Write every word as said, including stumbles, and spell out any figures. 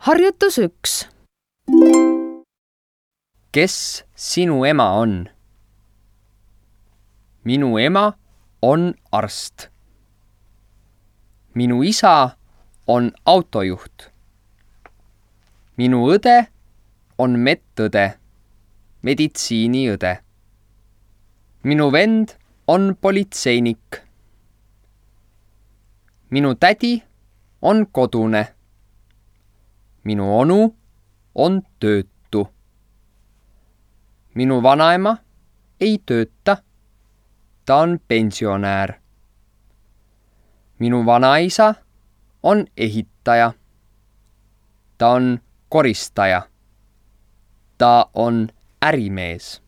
Harjutus üks. Kes sinu ema on? Minu ema on arst. Minu isa on autojuht. Minu õde on medõde, meditsiiniõde. Minu vend on politseinik. Minu tädi on kodune. Minu onu on töötu. Minu vanaema ei tööta, ta on pensionäär. Minu vanaisa on ehitaja. Ta on koristaja. Ta on ärimees.